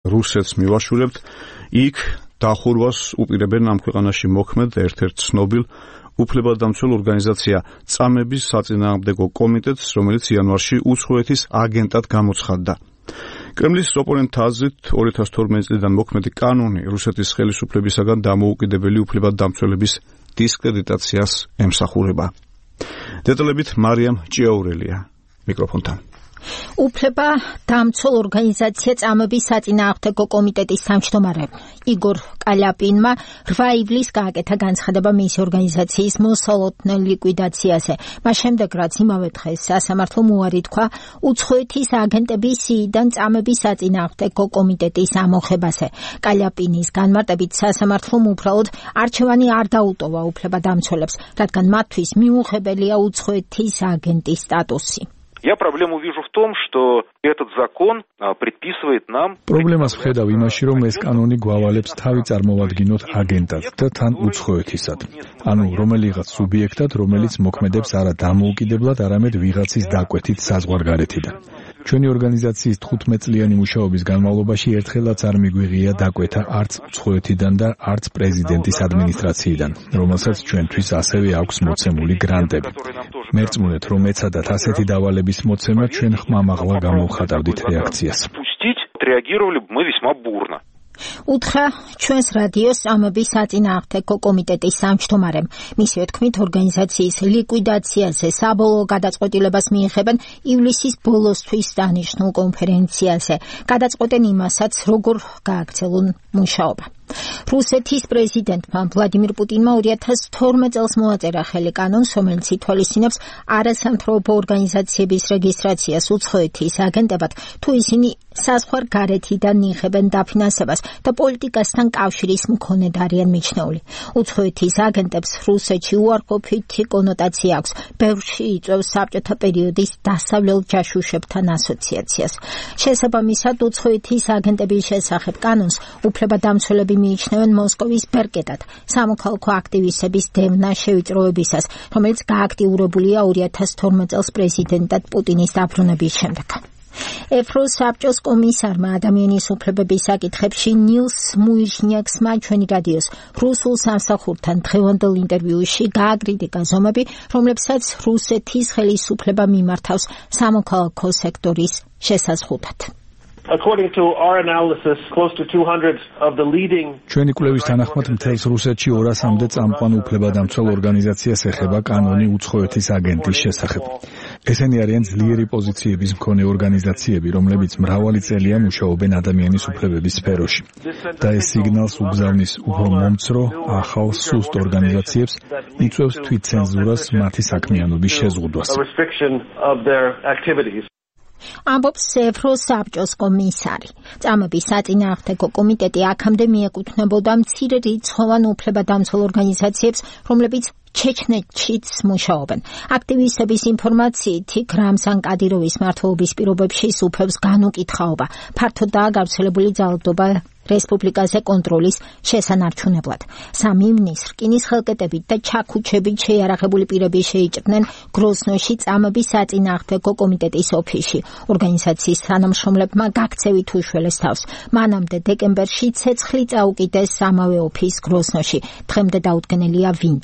რუსეთს მივაშურებთ, იქ დახურვას უპირებენ ამ ქვეყანაში მოქმედ ერთ-ერთ ცნობილ უფლებადამცველ ორგანიზაცია წამების საწინააღმდეგო კომიტეტს, რომელიც იანვარში უცხოეთის აგენტად გამოცხადდა. კრემლის ოპონენტთა აზრით 2012 წლიდან მოქმედი კანონი რუსეთის ხელისუფლებისაგან დამოუკიდებელი უფლებადამცველების დისკრედიტაციას ემსახურება. დეტალებით მარიამ ჭიაურელია მიკროფონთან. უფლება დამცველ ორგანიზაცია წამების საწინააღმდეგო კომიტეტის თავმჯდომარე იგორ კალიაპინმა 8 ივლისს გააკეთა განცხადება მისი ორგანიზაციის მოსალოდნელ ლიკვიდაციაზე. მას შემდეგ, რაც იმავე დღეს სასამართლომ უარი თქვა უცხოეთის აგენტების სიიდან წამების საწინააღმდეგო კომიტეტის ამოხებაზე. კალიაპინის განმარტებით სასამართლომ უბრალოდ არჩევანი არ დაუტოვა უფლებადამცველებს, რადგან მათთვის მიუღებელია უცხოეთის აგენტის სტატუსი. Я проблему вижу в том, что этот закон предписывает нам... Проблемას ვხედავ იმაში, რომ ეს კანონი გვავალებს თავი წარმოვადგინოთ აგენტად და თან უცხოეთისად. ანუ რომელიღაც სუბიექტად, რომელიც მოქმედებს არა დამოუკიდებლად, არამედ ვიღაცის დაკვეთით საზღვარგარეთიდან. ჩვენი ორგანიზაციის 15 წლიანი მუშაობის განმავლობაში ერთხელაც არ მიგვიღია დაკვეთა არც უცხოეთიდან და არც პრეზიდენტის ადმინისტრაციიდან, რომელსაც ჩვენთვის ასევე აქვს მოცემული გრანტები. მერწმუნეთ, რომ ეცადათ ასეთი დავალების მოცემა, ჩვენ ხმამაღლა გამოვხატავდით რეაქციას. უთხრა ჩვენს რადიოს წამების საწინააღმდეგო კომიტეტის თავმჯდომარემ. მისივე თქმით, ორგანიზაციის ლიკვიდაციაზე საბოლოო გადაწყვეტილებას მიიღებენ ივლისის ბოლოსთვის დანიშნულ კონფერენციაზე. გადაწყვეტენ იმასაც, როგორ გააგრძელონ მუშაობა. რუსეთის პრეზიდენტმა ვლადიმირ პუტინმა 2012 წელს მოაწერა ხელი კანონს, რომელიც ითვალისწინებს არასამთავრობო ორგანიზაციების რეგისტრაციას უცხოეთის აგენტებად, თუ ისინი საზღვარგარეთიდან იღებენ დაფინანსებას და პოლიტიკასთან კავშირის მქონედ არიან მიჩნეული. უცხოეთის აგენტებს რუსეთში უარყოფითი კონოტაცია აქვს. ბევრში იწვევს საბჭოთა პერიოდის დასავლელ ჯაშუშებთან ასოციაციას. შესაბამისად, უცხოეთის აგენტების შესახებ კანონს უფლებადამცველები მიიჩნევენ მოსკოვის ბერკეტად, სამოქალაქო აქტივისტების დევნა შევიწროებისას, რომელიც გააქტიურებულია 2012 წელს პრეზიდენტად პუტინის დაბრუნების შემდეგ. ევროსაბჭოს კომისარმა ადამიანის უფლებების საკითხებში ნილს მუიჟნიაქსმა ჩვენი რადიოს რუსულ სამსახურთან დღევანდელ ინტერვიუში გააკრიტიკა ზომები, რომლებსაც რუსეთის ხელისუფლება მიმართავს სამოქალაქო სექტორის შესაზღვრად. According to our analysis, close to 200 of the leading ჩვენი კვლევის თანახმად მთელს რუსეთში 200-მდე წამყვან უფლებადამცველ ორგანიზაციას ეხება კანონი უცხოეთის აგენტის შესახებ. ესენი არიან ძლიერი პოზიციების მქონე ორგანიზაციები, რომლებიც მრავალი წელია მუშაობენ ადამიანის უფლებების სფეროში. და ეს სიგნალს უგზავნის უფრო მომცრო, ახალ, სუსტ ორგანიზაციებს, იწვევს თვითცენზურას, მათი საქმიანობის შეზღუდვას. ამბობს ევროსაბჭოს კომისარი. წამების საწინააღმდეგო კომიტეტი აქამდე მიეკუთვნებოდა მცირე რიცხოვან უფლებადამცველ ორგანიზაციებს, რომლებიც ჩეჩნეთშიც მუშაობენ. აქტივისტების ინფორმაციით, იქ რამზან კადიროვის მმართველობის პირობებში სუფევს განუკითხაობა. ფართოდაა გავრცელებული ძალადობა რესპუბლიკაზე კონტროლის შესანარჩუნებლად. 3 ივნისს რკინის ხელკეტებით და ჩაქუჩებით შეიარაღებული პირები შეიჭრნენ გროზნოში წამების საწინააღმდეგო კომიტეტის ოფისში. ორგანიზაციის თანამშრომლებმა გაქცევით უშველეს თავს. მანამდე დეკემბერში ცეცხლი წაუკიდეს ამავე ოფისს გროზნოში. დღემდე დაუდგენელია ვინ.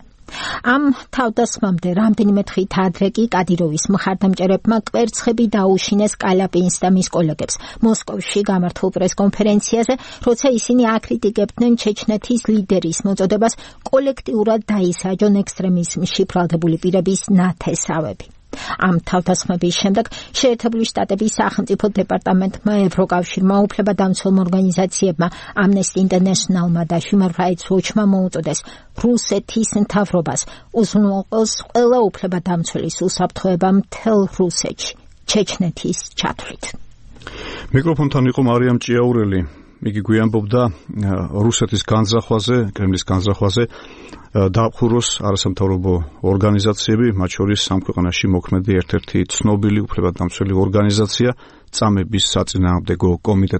ამ თავდასხმამდე რამდენიმე დღით ადრე კი კადიროვის მხარდამჭერებმა კვერცხები დაუშინეს კალიაპინს და მის კოლეგებს მოსკოვში გამართულ პრესკონფერენციაზე, როცა ისინი აკრიტიკებდნენ ჩეჩნეთის ლიდერის მოწოდებას კოლექტიურად დაისაჯონ ექსტრემიზმში ბრალდებული პირების ნათესავები. ამ თავდასხმების შემდეგ შეერთებული შტატების სახელმწიფო დეპარტამენტმა, ევროკავშირმა, უფლებადამცველ ორგანიზაციებმა, Amnesty International-მა და Human Rights Watch-მა მოუწოდეს რუსეთის მთავრობას უზრუნველყოს ყველა უფლებადამცველის უსაფრთხოება მთელ რუსეთში, ჩეჩნეთის ჩათვლით. მიკროფონთან იყო მარიამ ჭიაურელი. იგი გვიამბობდა რუსეთის განზრახვაზე, კრემლის განზრახვაზე დაახუროს არასამთავრობო ორგანიზაციები, მათ შორის ამ ქვეყანაში მოქმედი ერთ-ერთი ცნობილი უფლებადამცველი ორგანიზაცია წამების საწინააღმდეგო კომიტეტი.